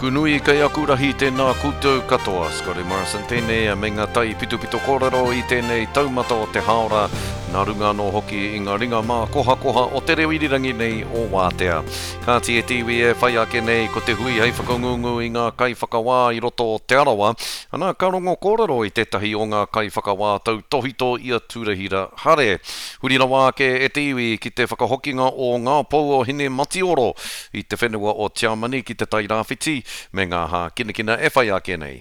aku nui, kei aku rahi tēnā koutou katoa. Scotty Morrison tēnei me ngā taipitopito kōrero i tēnei taumata o te hāora, nā runga anō hoki i ngā ringa mākohakoha o te reo irirangi nei o Wātea. Kāti e te iwi e whai ake nei ko te hui hei whakangungu i ngā kaiwhakawā i roto o Te Arawa, ana ka rongo kōrero i tētahi o ngā kaiwhakawā tautōhito i a Turahira Hare. Huri rawa ake e te iwi ki te whakahokinga o ngā pou o Hinematioro i te whenua o Tiamani ki te Tai Rāwhiti me ngā hākinakina e whai ake nei.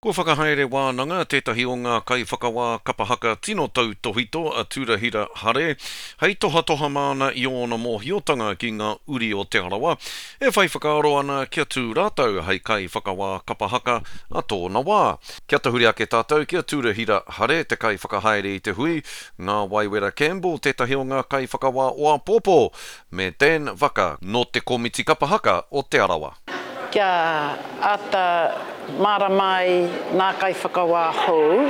Kua whakahaere wānanga tētahi o ngā kaiwhakawā kapa haka tino tautōhito a Turahira Hare hei tohatoha māna i ōna mōhiotanga ki ngā uri o Te Arawa e whai whakaaro ana kia tū rātou hei kaiwhakawā kapa haka a tōna wā. Kia tahuri ake tātou ki a Turahira Hare te kaiwhakahaere i te hui, Ngā Waiwera Campbell tētahi o ngā kaiwhakawā o āpōpō, me Dan Vaka nō te Komiti Kapa Haka o Te Arawa. Kia āta mārama ai ngā kaiwhakawā hou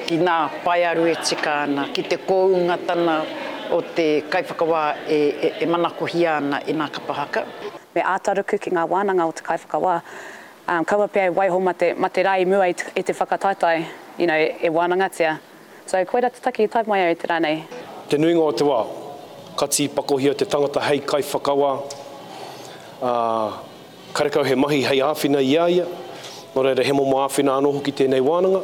ki ngā paearu e tika ana, ki te koungatanga o te kaiwhakawā e manakohia ana e ngā kapa haka. Me āta ruku ki ngā wānanga o te kaiwhakawā. Kaua pea e waiho ma te, ma te rā i mua i te whakataetae, you know, e wānangatia. So, koira te take i tae mai au i te rā nei. Te nuinga o te wā, ka tīpakohia te tangata hei kaiwhakawā, ā, karekau he mahi hei āwhina i a ia, nō reira he momo āwhina anō hoki tēnei wānanga.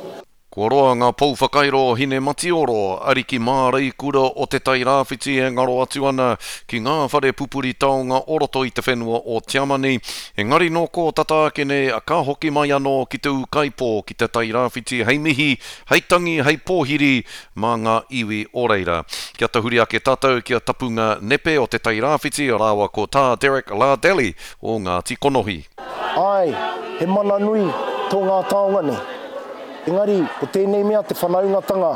Kua roa ngā pou whakairo o Hinematioro, ariki māreikura o Te Tai Rāwhiti e ngaro atu ana ki ngā whare pupuri taonga o roto i te whenua o Tiamani, engari nō kō tata ake nei ka hoki mai anō ki te ūkaipō ki Te Tai Rāwhiti hei mihi, hei tangi, hei pōhiri mā ngā iwi o reira. Kia tahuri ake tātou ki a Tapunga Nepe o Te Tai Rāwhiti rāua ko Tā Derek Lardelli o Ngāti Konohi. Āe, he mana nui tō ngā taonga nei. Engari, ko tēnei mea te whanaungatanga,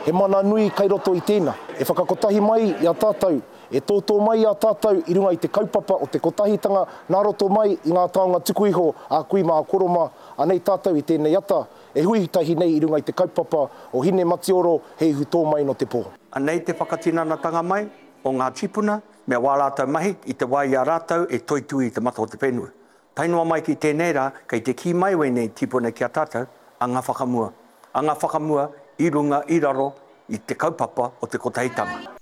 he mana nui kai roto i tēnā. E whakakotahi mai i a tātou, e tōtō mai i a tātou i runga i te kaupapa o te kotahitanga nā roto mai i ngā taonga tuku iho a kui mā a koro mā, anei tātou i tēnei ata, E hui tahi nei i runga i te kaupapa o Hine Matioro, he ihu tō mai no te pō. Anei te whakatinanatanga mai o ngā tīpuna me wā rātou mahi i te wā i a rātou e toitū i te mata o te whenua. Tae noa mai ki tēnei rā, kei te kī mai wēnei tīpuna ki a tātou, anga whakamua, anga whakamua i runga, i raro i te kaupapa o te kotahitanga.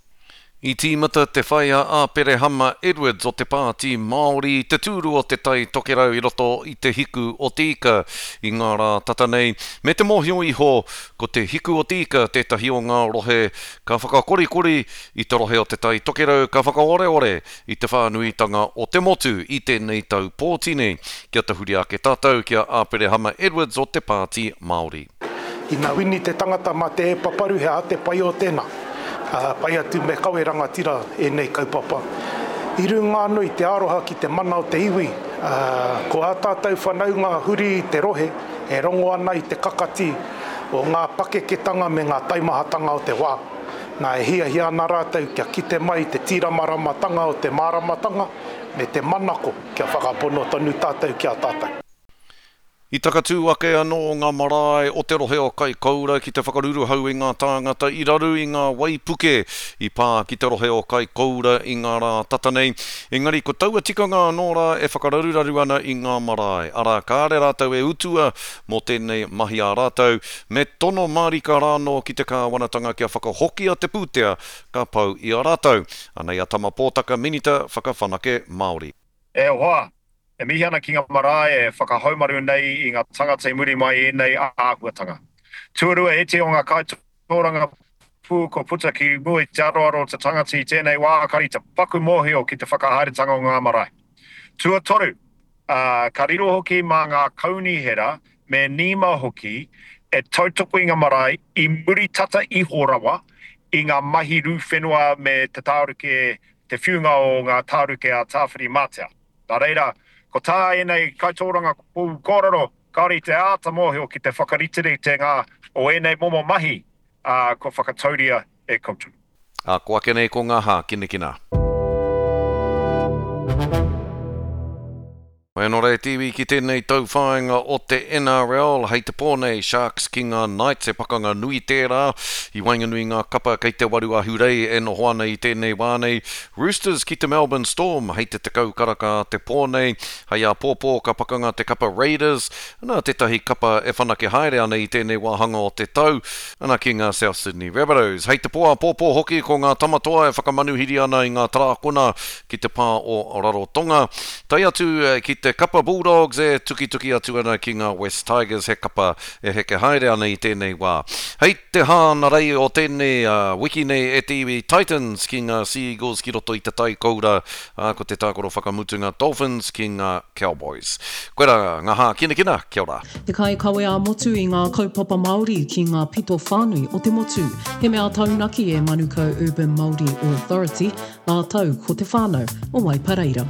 I tīmata te whai a Āperehama Edwards o te Pāti Māori i te tūru o Te Tai Tokerau i roto i Te Hiku o Te Ika i ngā rā tata nei, me te mōhio iho ko Te Hiku o Te Ika tētahi o ngā rohe ka whakakorikori i te rohe o Te Tai Tokerau ka whakaoreore i te whānuitanga o te motu i tēnei tau pōti nei. Kia tahuri ake tātou ki a Āperehama Edwards o te Pāti Māori. Ina wini te tangata ma te paparu he aha te pai o tena? Pai atu me kawe rangatira enei kaupapa. I runga ano i te aroha ki te mana o te iwi, ko a tatou whanaunga huri i te rohe e rongo ana i te kakati o nga pakeketanga me nga taimahatanga o te wa. Na e hiahia ana ratou kia kite mai te tiramaramatanga o te maramatanga me te manako kia whakapono tonu tatou ki a tatou. I takatū ake anō ngā marae o te rohe o Kaikoura ki te whakaruruhau i ngā tāngata i raru i ngā waipuke i pā ki te rohe o Kaikoura i ngā rā tata nei. Engari ko taua tikanga anō rā e whakararuraru ana i ngā marae, arā kāre rātou e utua mō tēnei mahi a rātou, me tono mārika rānō ki te kāwanatanga kia whakahokia te pūtea ka pau i a rātou. Anei a Tama Pōtaka Minita Whakawhanake Māori. E hoa, E mihi ana ki nga marae e whakahaumaru nei i nga tangata i muri mai i enei ahuatanga. Tuarua iti o nga kaitorangapu kua puta ki mua i te aroaro o te tangata i tenei wa kari te paku mohio ki te whakahaeretanga o nga marae. Tuatoru, ka riro hoki ma nga kaunihera me NEMA hoki e tautoko i nga marae i muri tata iho rawa i nga mahi ru whenua me te taruke te whiunga o nga taruke a Tawhirimatea. Nā reira, ko tā ēnei kaitōrangapū kōrero, kāore i te āta mōhio ki te whakariteritenga o ēnei momo mahi, ā, kua whakatauria e koutou. Ā, ko ake nei ko ngā hākinakina. Mai anō rā e te iwi ki tēnei tauwhāinga o te NRL, hei te pō nei Sharks ki ngā Knights, he pakanga nui tērā i waenganui i ngā kapa kei te waru ahurei e noho ana i tēnei wā nei. Roosters ki te Melbourne Storm hei te 10 karaka a te pō nei, hei āpōpō ka pakanga te kapa Raiders, ana tētahi kapa e whanake haere ana i tēnei wāhanga o te tau, ana ki ngā South Sydney Rabbitohs. Hei te pō āpōpō hoki ko ngā Tamatoa e whakamanuhiri ana i ngā Tarākona ki te pā o Rarotonga, tae atu ki te kapa Bulldogs e tukituki atu ana ki ngā West Tigers, he kapa e heke haere ana i tēnei wā. Hei te hānarei o tēnei wiki nei e te iwi Titans ki ngā Sea Eagles ki roto i te tai koura, ā, ko te tākaro whakamutunga Dolphins ki ngā Cowboys. Koirā ngā hākinakina, kia ora. Te kaikawe ā-motu i ngā kaupapa Māori ki ngā pito whānui o te motu. He mea taunaki e Manukau Urban Māori Authority, Rātou ko te whānau o Waipareira.